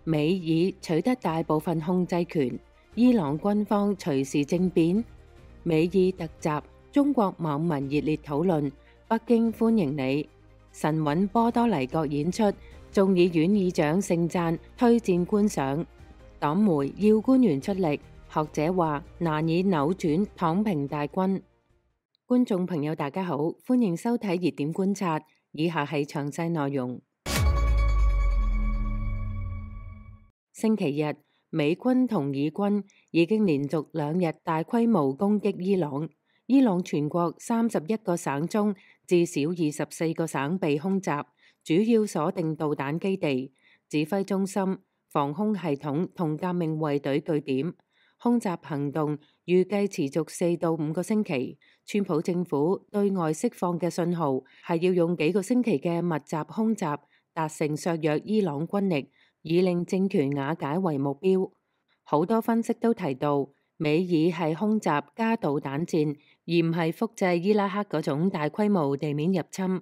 美以取得大部分控制權，伊朗軍方隨時政變。美以突襲，中國網民熱烈討論，北京歡迎你。神韻波多黎各演出，眾議院議長盛讚推薦觀賞。黨媒要官員出力，學者話難以扭轉躺平大軍。觀眾朋友大家好，歡迎收睇熱點觀察，以下係詳細內容。星期日，美軍同以軍已經連續2日大規模攻擊伊朗。伊朗全國31個省中，至少24個省被空襲，主要鎖定導彈基地、指揮中心、防空系統同革命衛隊據點。空襲行動預計持續4到5個星期。川普政府對外釋放嘅信號係要用幾個星期嘅密集空襲達成削弱伊朗軍力，以令政權瓦解為目標。好多分析都提到，美以係空襲加導彈戰，而唔係複製伊拉克嗰種大規模地面入侵。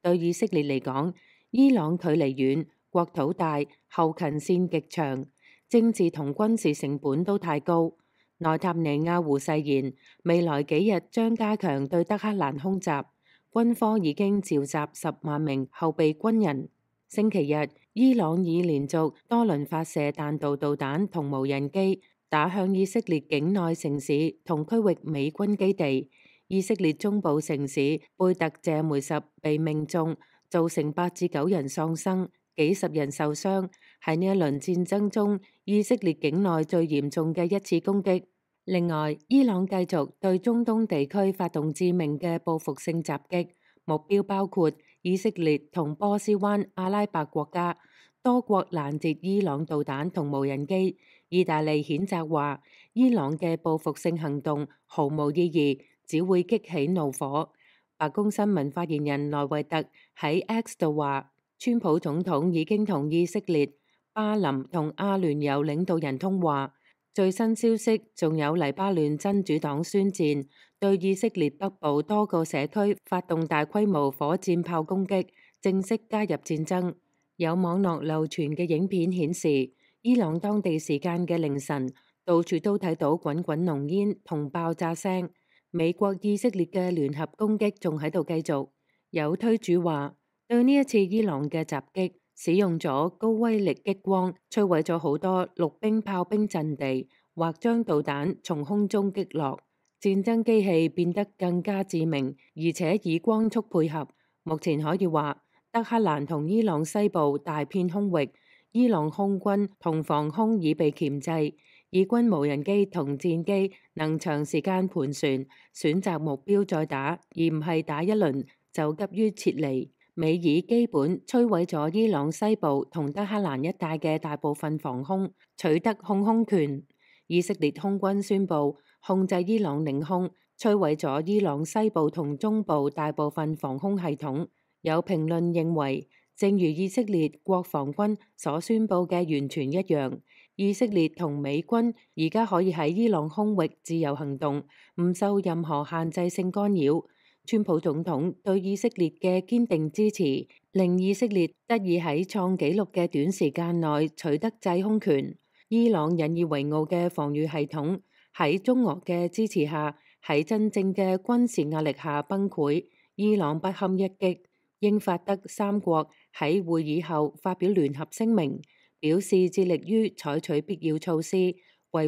對以色列嚟講，伊朗距離遠，國土大，後勤線極長，政治同軍事成本都太高。內塔尼亞胡誓言，未來幾日將加強對德黑蘭空襲，軍方已經召集10萬名後備軍人。星期日，伊朗已連續多輪發射彈道導彈同無人機，打向以色列境內城市同區域美軍基地。以色列中部城市貝特謝梅什被命中，造成8至9人喪生，幾十人受傷，係呢一輪戰爭中以色列境內最嚴重嘅一次攻擊。另外，伊朗繼續對中東地區發動致命嘅報復性襲擊，目標包括以色列同波斯灣阿拉伯國家。多國攔截伊朗導彈同無人機。意大利譴責話，伊朗嘅報復性行動毫無意義，只會激起怒火。白宮新聞發言人萊維特喺 X 度話，川普總統已經同以色列、巴林同阿聯酋領導人通話。最新消息仲有黎巴嫩真主黨宣戰，對以色列北部多個社區發動大規模火箭炮攻擊，正式加入戰爭。有網絡流傳嘅影片顯示，伊朗當地時間嘅凌晨，到處都睇到滾滾濃煙同爆炸聲。美國以色列嘅聯合攻擊仲喺度繼續。有推主話，對呢一次伊朗嘅襲擊，使用咗高威力激光，摧毀咗好多陸兵炮兵陣地，或將導彈從空中擊落。戰爭機器變得更加致命，而且以光速配合。目前可以話，德黑蘭同伊朗西部大片空域，伊朗空軍同防空已被鉗制，以軍無人機同戰機能長時間盤旋，選擇目標再打，而唔係打一輪就急於撤離。美以基本摧毀咗伊朗西部同德黑蘭一帶嘅大部分防空，取得控空權。以色列空軍宣布控制伊朗領空，摧毀咗伊朗西部同中部大部分防空系統。有評論認為，正如以色列國防軍所宣布嘅完全一樣，以色列同美軍而家可以喺伊朗空域自由行動，唔受任何限制性干擾。川普總統對以色列嘅堅定支持，令以色列得以喺創紀錄嘅短時間內取得制空權。伊朗引以為傲嘅防禦系統喺中俄嘅支持下，喺真正嘅軍事壓力下崩潰。伊朗不堪一擊。英法德三國喺會議後發表聯合聲明，表示致力於採取必要措施，維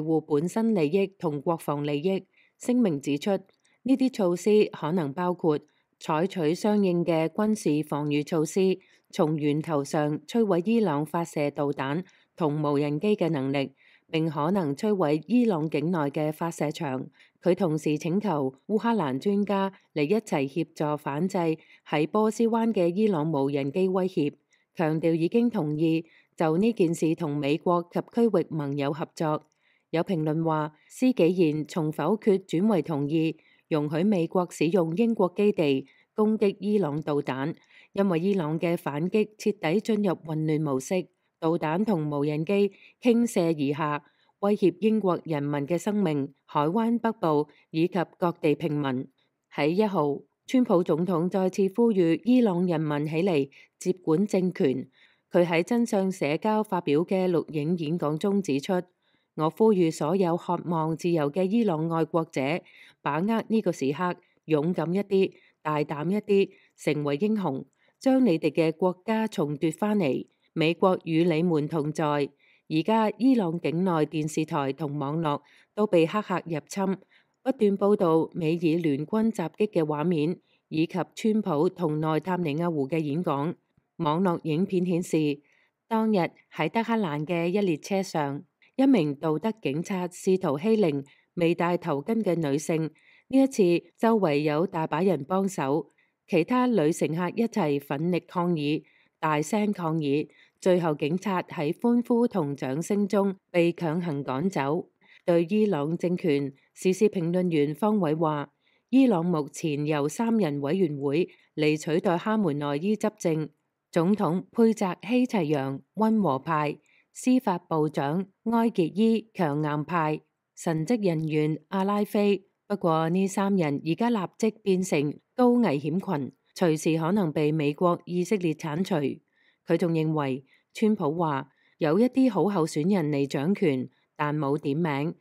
護本身利益同國防利益。聲明指出，呢啲措施可能包括採取相應嘅軍事防禦措施，從源頭上摧毀伊朗發射導彈同無人機嘅能力，並可能摧毀伊朗境內嘅發射場。佢同時請求烏克蘭專家嚟一齊協助反制喺波斯灣嘅伊朗無人機威脅，強調已經同意就呢件事同美國及區域盟友合作。有評論話，施紀賢從否決轉為同意，容許美國使用英國基地攻擊伊朗導彈，因為伊朗嘅反擊徹底進入混亂模式，導彈同無人機傾瀉而下，威脅英國人民嘅生命、海灣北部以及各地平民。喺1號，川普總統再次呼籲伊朗人民起嚟接管政權，佢喺真相社交發表嘅錄影演講中指出：我呼籲所有渴望自由嘅伊朗愛國者，把握呢個時刻，勇敢一啲，大膽一啲，成為英雄，將你哋嘅國家重奪返嚟。美國與你們同在。而家伊朗境內電視台同網絡都被黑客入侵，不斷報導美以聯軍襲擊嘅畫面，以及川普同內塔尼亞胡嘅演講。網絡影片顯示，當日喺德黑蘭嘅一列車上，一名道德警察試圖欺凌未戴頭巾嘅女性。呢一次，周圍有大把人幫手，其他女乘客一齊奮力抗議，大聲抗議。最後，警察喺歡呼同掌聲中被強行趕走。對伊朗政權，時事評論員方偉話：伊朗目前由3人委員會嚟取代哈梅內伊執政。總統佩澤希齊揚溫和派，司法部長埃傑伊強硬派，神職人員阿拉菲。不過呢3人而家立即變成高危險群，隨時可能被美國、以色列剷除。佢仲認為，川普話有一啲好候選人嚟掌權，但冇點名。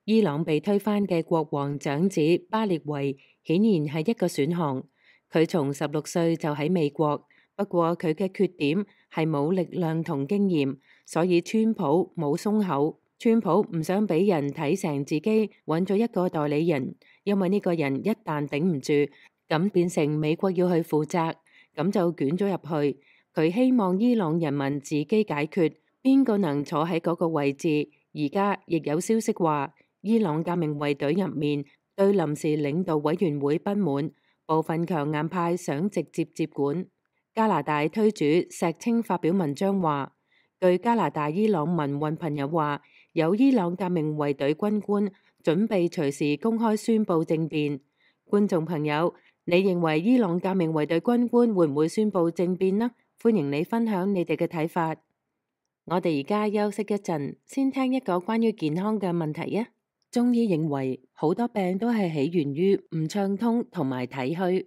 伊朗被推翻嘅國王長子巴列維顯然係一個選項。佢從16歲就喺美國。不過佢嘅缺點係冇力量同經驗，所以川普冇鬆口。川普唔想俾人睇成自己揾咗一個代理人，因為呢個人一旦頂唔住，咁變成美國要去負責，咁就捲咗入去。佢希望伊朗人民自己解決邊個能坐喺嗰個位置。而家亦有消息話，伊朗革命衛隊入面對臨時領導委員會不滿，部分強硬派想直接接管。加拿大推主石青發表文章話，據加拿大伊朗民運朋友話，有伊朗革命衛隊軍官準備隨時公開宣布政變。觀眾朋友，你認為伊朗革命衛隊軍官會唔會宣布政變呢？歡迎你分享你哋嘅睇法。我哋而家休息一陣，先聽一個關於健康嘅問題啊。中醫認為好多病都係起源於唔暢通同埋體虛。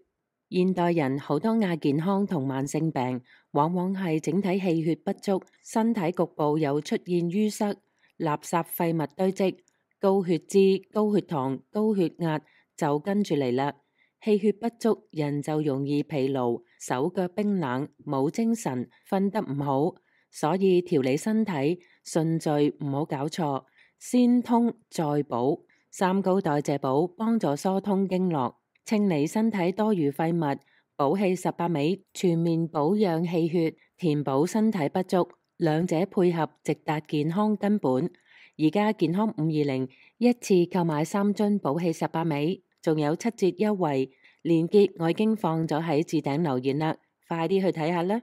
現代人好多亞健康同慢性病，往往係整體氣血不足，身體局部有出現淤塞、垃圾廢物堆積、高血脂、高血糖、高血壓就跟住嚟啦。氣血不足，人就容易疲勞、手腳冰冷、冇精神、瞓得唔好。所以調理身體順序唔好搞錯，先通再補。三高代謝補幫助疏通經絡，清理身體多餘廢物，補氣18味，全面保養氣血，填補身體不足，兩者配合直達健康根本。而家健康520一次購買3樽補氣18味，仲有7折優惠，鏈接我已經放咗喺置頂留言啦，快啲去睇下啦。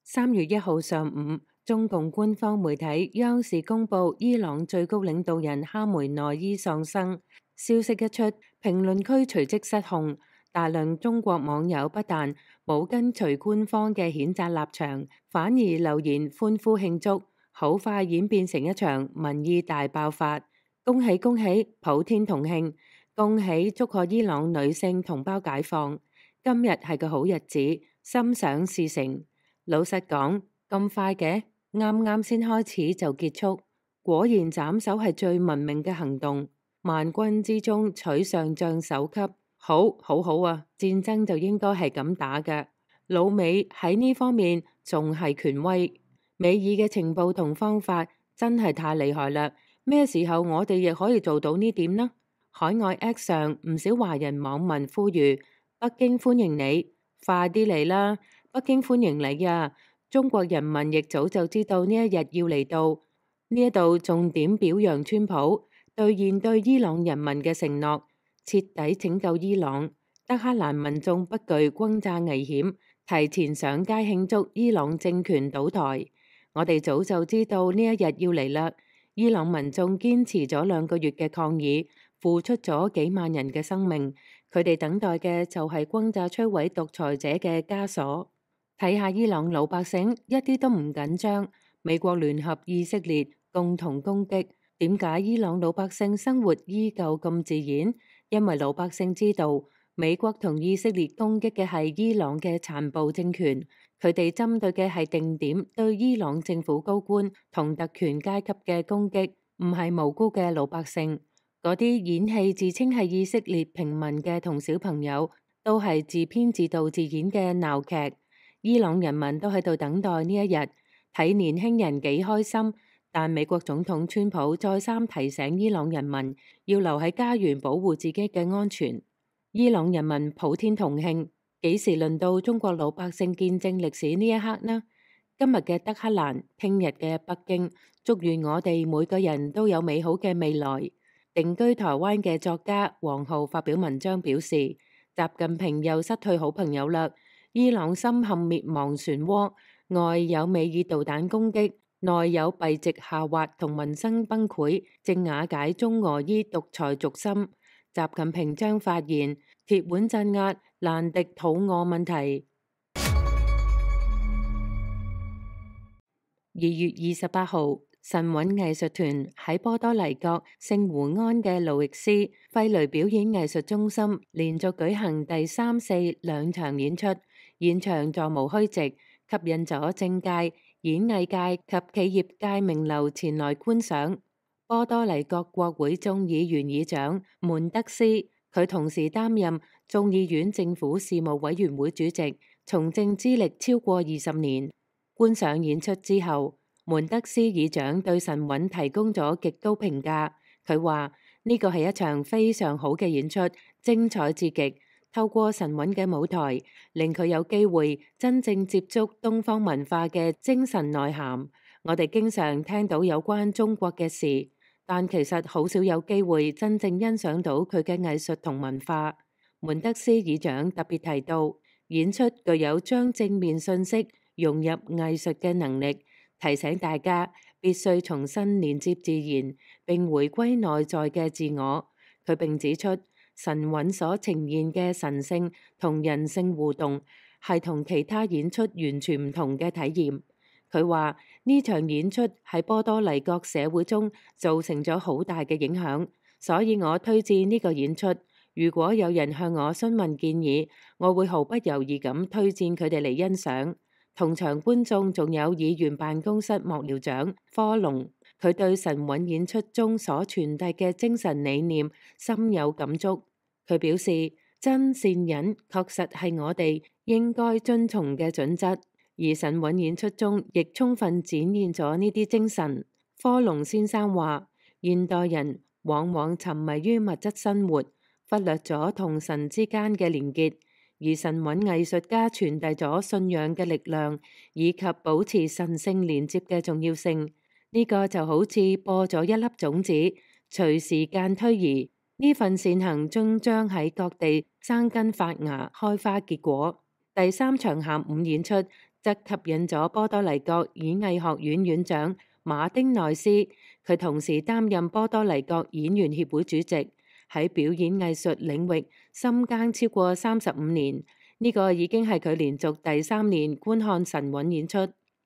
3月1號上午，中共官方媒體央視公布伊朗最高領導人哈梅內伊喪生。消息一出，評論區隨即失控，大量中國網友不但冇跟隨官方嘅譴責立場，反而留言歡呼慶祝，好快演變成一場民意大爆發。恭喜恭喜，普天同慶！恭喜祝賀伊朗女性同胞解放！今日係個好日子，心想事成。老實講，咁快嘅，啱啱先開始就結束，果然斬首係最文明嘅行動。萬軍之中取上將首級，好好啊！戰爭就應該係咁打嘅。老美喺呢方面仲係權威，美爾嘅情報同方法真係太厲害啦。咩時候我哋亦可以做到呢點呢？海外 X 上唔少華人網民呼籲北京歡迎你，快啲嚟啦！北京歡迎你啊！中國人民亦早就知道呢一日要嚟到。呢一度重點表揚川普兌現對伊朗人民嘅承諾，徹底拯救伊朗。德黑蘭民眾不懼轟炸危險，提前上街慶祝伊朗政權倒台。我哋早就知道呢一日要嚟啦。伊朗民眾堅持咗2個月嘅抗議，付出咗幾萬人嘅生命，佢哋等待嘅就係轟炸摧毀獨裁者嘅枷鎖。睇下伊朗老百姓一啲都唔緊張，美國聯合以色列共同攻擊，點解伊朗老百姓生活依舊咁自然？因為老百姓知道美國同以色列攻擊嘅係伊朗嘅殘暴政權，佢哋針對嘅係定點對伊朗政府高官同特權階級嘅攻擊，唔係無辜嘅老百姓。嗰啲演戲自稱係以色列平民嘅同小朋友，都係自編自導自演嘅鬧劇。伊朗人民都喺度等待呢一日，睇年輕人幾開心。但美國總統川普再三提醒伊朗人民要留喺家園保護自己嘅安全。伊朗人民普天同慶，幾時輪到中國老百姓見證歷史呢一刻呢？今日嘅德黑蘭，聽日嘅北京，祝願我哋每個人都有美好嘅未來。定居台灣嘅作家黃浩發表文章表示，習近平又失去好朋友啦。伊朗深陷滅亡漩渦，外有美爾導彈攻擊，內有幣值下滑同民生崩潰，正瓦解中俄伊獨裁軸心。習近平將發言，鐵腕鎮壓，難敵肚餓問題。2月28號，神韻藝術團喺波多黎各聖胡安嘅路易斯費雷表演藝術中心連續舉行第3、4兩場演出，現場座無虛席，吸引咗政界、演藝界及企業界名流前來觀賞。波多黎各國會眾議院議長門德斯，佢同時擔任眾議院政府事務委員會主席，從政資歷超過20年。觀賞演出之後，門德斯議長對神韻提供咗極高評價。佢話呢個係一場非常好嘅演出，精彩至極。透過神韻嘅舞台，令佢有機會真正接觸東方文化嘅精神內涵。我哋經常聽到有關中國嘅事，但其實好少有機會真正欣賞到佢嘅藝術同文化。門德斯議長特別提到，演出具有將正面信息融入藝術嘅能力，提醒大家必須重新連接自然，並回歸內在嘅自我。佢並指出，神韻所呈現嘅神性同人性互動，係同其他演出完全唔同嘅體驗。佢話呢場演出喺波多黎各社會中造成咗好大嘅影響，所以我推薦呢個演出。如果有人向我詢問建議，我會毫不猶豫咁推薦佢哋嚟欣賞。同場觀眾仲有議員辦公室幕僚長科隆，佢對神韻演出中所傳遞嘅精神理念深有感觸。佢表示，真善忍確實係我哋應該遵從嘅準則，而神韻演出中亦充分展現咗呢啲精神。科隆先生話，現代人往往沉迷於物質生活，忽略咗同神之間嘅連結。而神韻藝術家傳遞咗信仰嘅力量，以及保持神聖連接嘅重要性。呢個就好似播咗一粒種子，隨時間推移，呢份善行終將喺各地生根發芽、開花結果。第3場下午演出則吸引咗波多黎各演藝學院院長馬丁內斯，佢同時擔任波多黎各演員協會主席。喺表演藝術領域深耕超過35年，呢個已經係佢連續第3年觀看神韻演出。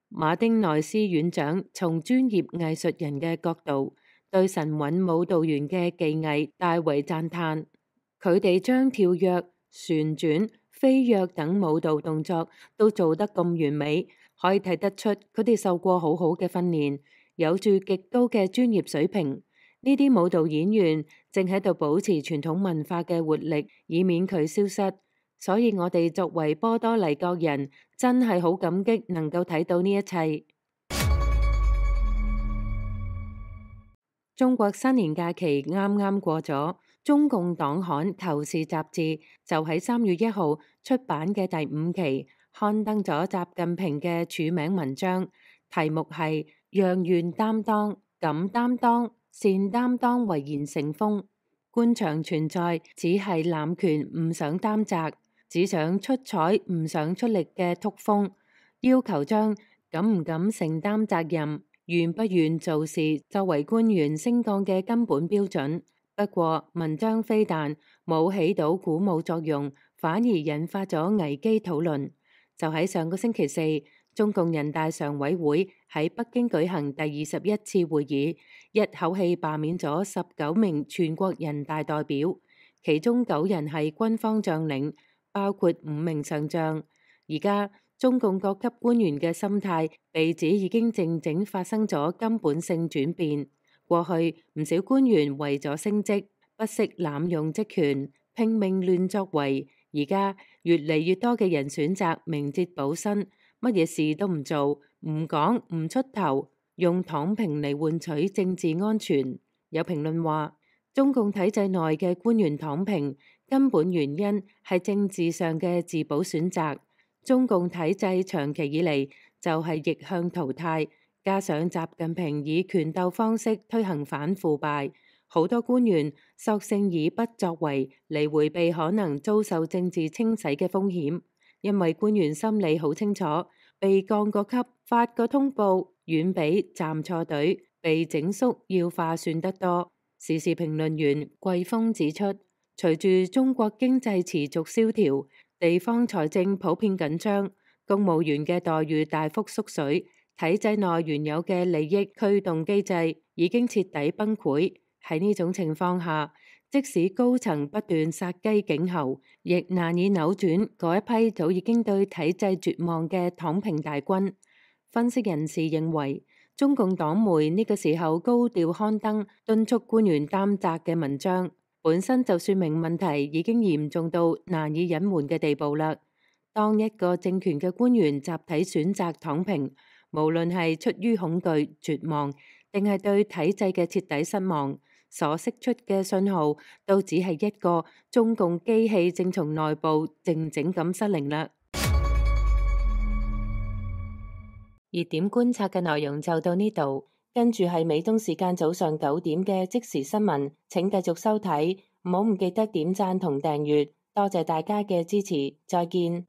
馬丁內斯院長從專業藝術人嘅角度，對神韻舞蹈員嘅技藝大為讚嘆。佢哋將跳躍、旋轉、飛躍等舞蹈動作都做得咁完美，可以睇得出佢哋受過好好嘅訓練，有住極高嘅專業水平。呢啲舞蹈演員正喺度保持傳統文化嘅活力，以免佢消失。所以我哋作為波多黎各人，真係好感激能夠睇到呢一切。中國新年假期啱啱過咗，中共黨刊《求是》雜誌就喺3月1號出版嘅第5期刊登咗習近平嘅署名文章，題目係讓願擔當、敢擔當、善擔當為言成風。官場存在只係濫權唔想擔責，只想出彩唔想出力嘅曲風，要求將敢唔敢承擔責任、願不願做事作為官員升降嘅根本標準。不過文章非但冇起到鼓舞作用，反而引發咗危機討論。就喺上個星期四，中共人大常委會喺北京舉行第21次會議，一口氣罷免咗19名全國人大代表。其中9人係軍方將領，包括5名上將。而家中共各級官員嘅心態被指已經靜靜發生咗根本性轉變。過去唔少官員為咗升職，不惜濫用職權，拼命亂作為。而家越嚟越多嘅人選擇明哲保身，乜嘢事都唔做，唔講，唔出頭，用躺平嚟換取政治安全。有評論話，中共體制內嘅官員躺平，根本原因係政治上嘅自保選擇。中共體制長期以嚟就係逆向淘汰，加上習近平以權鬥方式推行反腐敗，好多官員索性以不作為嚟迴避可能遭受政治清洗嘅風險。因為官員心里好清楚，被降個級、發個通報，遠比站錯隊被整肅要划算得多。時事評論員季峰指出，隨住中國經濟持續蕭條，地方財政普遍緊張，公務員嘅待遇大幅縮水，體制內原有嘅利益驅動機制已經徹底崩潰。喺呢種情況下，即使高層不斷殺雞儆猴，亦難以扭轉嗰一批早已經對體制絕望嘅躺平大軍。分析人士認為，中共黨媒呢個時候高調刊登敦促官員擔責嘅文章，本身就說明問題已經嚴重到難以隱瞞嘅地步啦。當一個政權嘅官員集體選擇躺平，無論係出於恐懼、絕望，定係對體制嘅徹底失望，所釋出嘅信號都只係一個中共機器正從內部靜靜咁失靈啦。熱點觀察嘅內容就到呢度，跟住係美東時間早上9點嘅即時新聞，請繼續收睇，唔好唔記得點讚同訂閱，多謝大家嘅支持，再見。